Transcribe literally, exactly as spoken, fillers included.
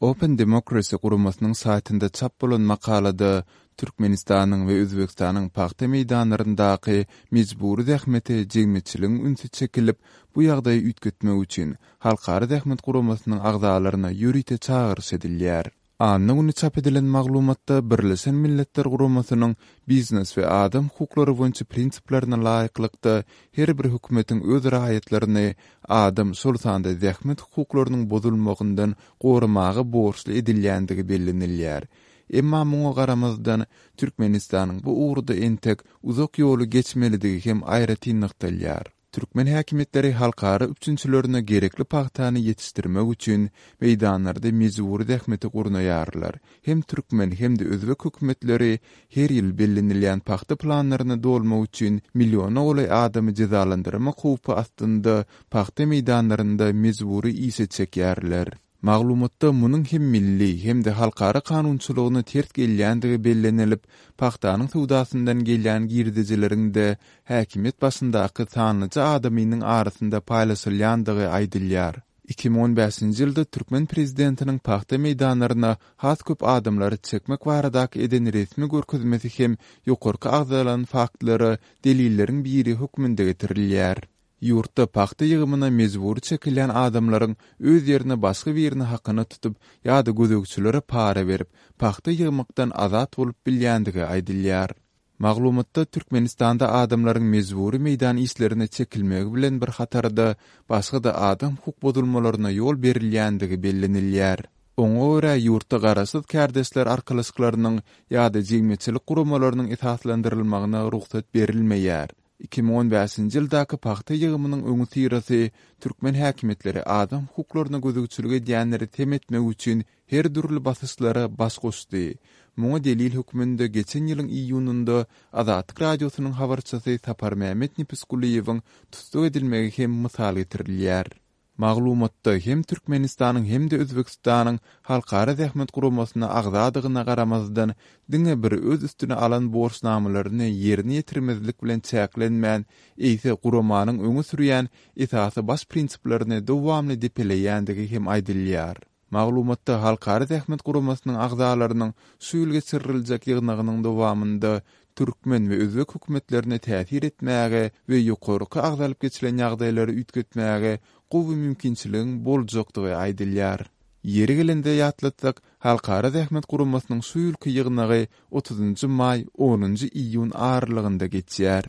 Open Democracy guramasynyň saýtynda çap bolan makalada Türkmenistanyň we Özbegistanyň pagta meýdanlaryndaky mejbury zähmete jemgyýetçiligiň ünsi çekilip, bu ýagdaýy üýtgetmek üçin Halkara zähmet guramasynyň agzalaryna ýörite çagyryş edilýär. Anna güni çap edilen maglumatda Birleşen Milletler Guramasynyň biznes we adam hukuklary boýunça prinsiplerine laýyklykda her bir hökümetiň öz raýatlaryny adam, şol sanda zähmet hukuklarynyň bozulmagyndan goramaga borçly edilýändigi bellenilýär. Emma muňa garamazdan Türkmenistanyň bu ugurda entek uzak ýoly geçmelidigi hem aýratyn nygtalýar. Türkmen häkimiýetleri halkara üpjünçilerine gerekli pagtany ýetişdirmek üçin meýdanlarda mejbury zähmeti gurnaýarlar. Hem türkmen hem-de özbek hökümetleri her ýyl bellenilýän pagta planlaryny dolmak üçin milliona golaý adamy jezalandyrmak howpy astynda pagta meýdanlarynda mejbury işe çekýärler. Maglumatda munuň hem milli hem-de halkara kanunçylygyna ters gelýändigi bellenilip, pagtanyň söwdasyndan gelýän girdejileriň-de häkimiýet başyndaky sanlyja adamynyň arasynda paýlaşylýandygy aýdylýar. Iki müň on bäşinji ýylda türkmen prezidentiniň pagta meýdanlaryna has köp adamlary çekmek baradaky eden resmi görkezmesi hem ýokarky agzalan faktlara delilleriň biri hökmünde getirilýär. Ýurtda pagta ýygymyna mejbury çekilýän adamlaryň öz ýerine başga birini hakyna tutup ýa-da gözegçilere para berip, pagta ýygmakdan azat bolup bilýändigi aýdylýar. Maglumatda Türkmenistanda adamlaryň mejbury meýdan işlerine çekilmegi bilen bir hatarda başga-da adam hukuk bozulmalaryna ýol berilýändigi bellenilýär. Oňa görä ýurtda garaşsyz kärdeşler arkalaşyklarynyň ýa-da jemgyýetçilik guramalarynyň esaslandyrylmagyna rugsat berilmeýär. Iki müň on bäşinji ýyldaky pagta ýygymynyň öňüsyrasy türkmen häkimiýetleri adam hukuklaryna gözegçilik edýänleri sem etmek üçin her dürli basyşlara baş goşdy. Muňa delil hökmünde geçen ýylyň iýunynda Azatlyk radiosynyň habarçysy Saparmämmet Nepisgulyýewiň tussag edilmegi hem mysal getirilýär. Maglumatda hem Türkmenistanyň hem-de Özbegistanyň Halkara zähmet guramasyna agzadygyna garamazdan diňe bir öz üstüne alan borçnamalaryny ýerine ýetirmezlik bilen çäklenmän, eýse guramanyň öňe sürýän esasy baş prinsiplerini dowamly depeleýändigi hem aýdylýar. Maglumatda Halkara zähmet guramasynyň agzalarynyň şu ýyl geçiriljek ýygnagynyň dowamynda türkmen we özbek hökümetlerine täsir etmäge we ýokarky agzalyp geçilen ýagdaýlary üýtgetmäge gowy mümkinçiligiň boljakdygy aýdylýar. Ýeri gelende ýatlatsak, Halkara zähmet guramasynyň şu ýylky ýygnagy otuzynjy maý, onunjy iýun aralygynda geçýär.